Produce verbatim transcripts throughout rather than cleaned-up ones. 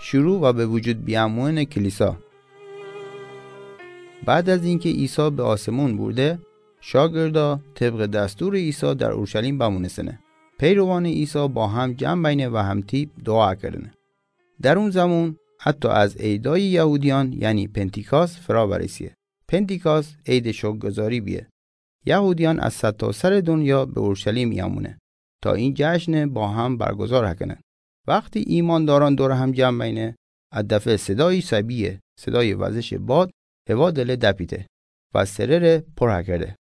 شروع و به وجود بیامونن کلیسا. بعد از اینکه عیسی به آسمون برده، شاگردا طبق دستور عیسی در اورشلیم بمونستنه. پیروان عیسی با هم جمع بینه و همتیپ دعا کردنه. در اون زمان حتی از عیدای یهودیان، یعنی پنتیکاست، فرا برسیه. پنتیکاست عید شکرگزاری بیه. یهودیان از سرتاسر دنیا به اورشلیم یامونه تا این جشن با هم برگزار هکنن. وقتی ایمانداران دور هم جمع بینه، از دفعه صدای شبیه صدای وزش باد هوا دله دپیته و سرره پر هکرده.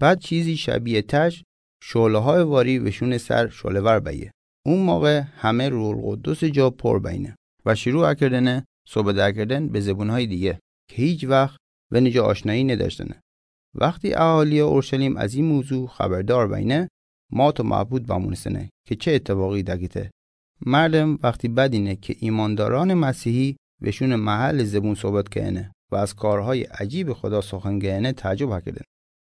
بعد چیزی شبیه تش شعله های واری وشون سر شعله ور بیه. اون موقع همه روح القدس جا پر بینه و شروع کردنه صحبت کردن به زبونهای دیگه که هیچ وقت ونه جا آشنایی نداشتنه. وقتی اهالی اورشلیم از این موضوع خبردار بینه، مات و مبهوت بمونستنه که چه اتفاقی دگیته. مردم وقتی بدینه که ایمانداران مسیحی وشون محل زبون صحبت کنه و از کارهای عجیب خدا سخن گهنه، تعجب کردن.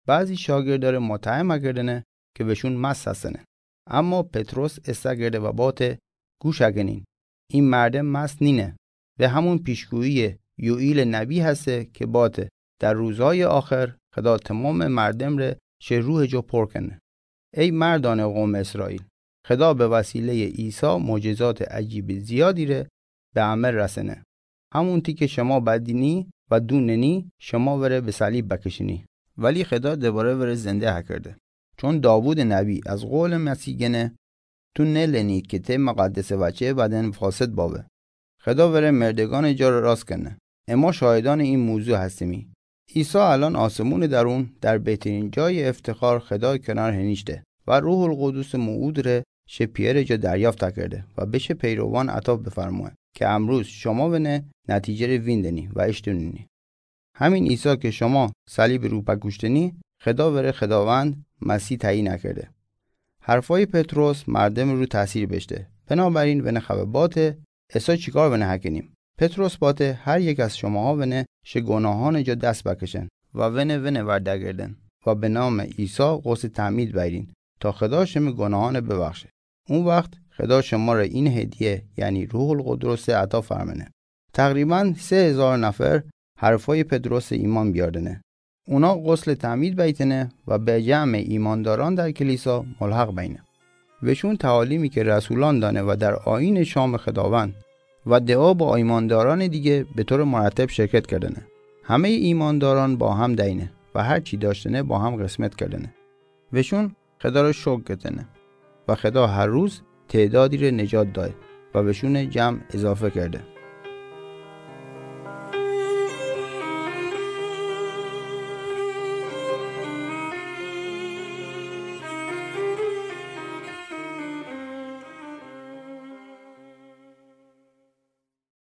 بعضی شاگردار متهم کردنه که وشون مست هستنه. اما پطرس استگرده و باته: گوش اگنین، این مردم مست نینه. و همون پیشگویی یوئیل نبی هسته که باته: در روزهای آخر خدا تمام مردم ره شه روح جو پر کنه. ای مردان قوم اسرائیل، خدا به وسیلهٔ عیسی معجزات عجیب زیادی ره به عمل رسنه. همونتی که شما بدینی و دوننی، شما وره به صلیب بکشینی، ولی خدا دوباره وره زنده هکرده. چون داوود نبی از قول مسیح گنه: تو نلنی که ته مقدس بچه بدن فاسد باوه. خدا وره مردگان جا راست کنه. اما شاهدان این موضوع هستیمی. عیسی الان آسمون درون در بهترین جای افتخار خدای کنار هنیشته و روح القدس موعود ره شه پیئر جا دریافت کرده و بشه پیروان عطا بفرموه که امروز شما ونه نتیجه ره ویندنی و اشتونینی. همین عیسی که شما صلیب رو بکوشتنی، خدا وره خداوند مسیح تعیین کرده. حرفای پطرس مردم رو تاثیر بشته، بنابراین ونه خبه باته: اسا چیکار ونه هکنیم؟ پطرس باته: هر یک از شماها ونه شه گناهان جا دست بکشن و ونه ونه ورده گردن و به نام عیسی غسل تعمید بیرین تا خدا شمه گناهان ببخشه. اون وقت خدا شما را این هدیه، یعنی روح القدس، عطا فرمنه. تقریباً سه هزار نفر حرفای پطرس ایمان بیاردنه. اونا غسل تعمید بیتنه و به جمع ایمانداران در کلیسا ملحق بینه. وشون تعالیمی که رسولان دانه و در آیین شام خداوند و دعا با ایمانداران دیگه به طور مرتب شرکت کردنه. همهٔ ایمانداران با هم دینه و هر چی داشتنه با هم قسمت کردنه. وشون خدا را شکر کردنه و خدا هر روز تعدادی را نجات داد و وشون جمع اضافه کرده.